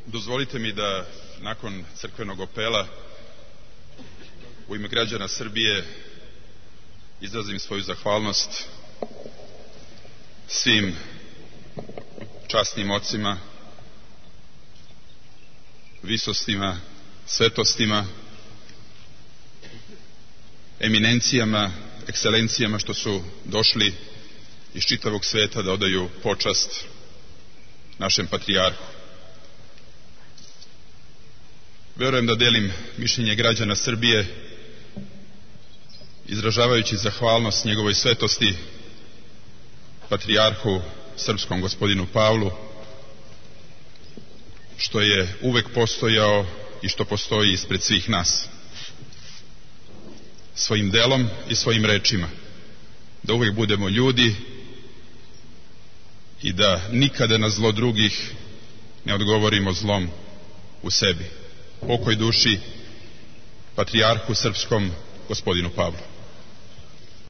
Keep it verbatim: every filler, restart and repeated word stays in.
Dozvolite mi da nakon crkvenog opela u ime građana Srbije izrazim svoju zahvalnost svim časnim ocima, visostima, svetostima, eminencijama, ekscelencijama što su došli iz čitavog sveta da odaju počast našem patrijarhu. Verujem da delim mišljenje građana Srbije, izražavajući zahvalnost njegovoj svetosti, patrijarhu srpskom gospodinu Pavlu, što je uvek postojao i što postoji ispred svih nas. Svojim delom i svojim rečima. Da uvek budemo ljudi i da nikada na zlo drugih ne odgovorimo zlom u sebi. Pokoj duši patrijarhu srpskom gospodinu Pavlu.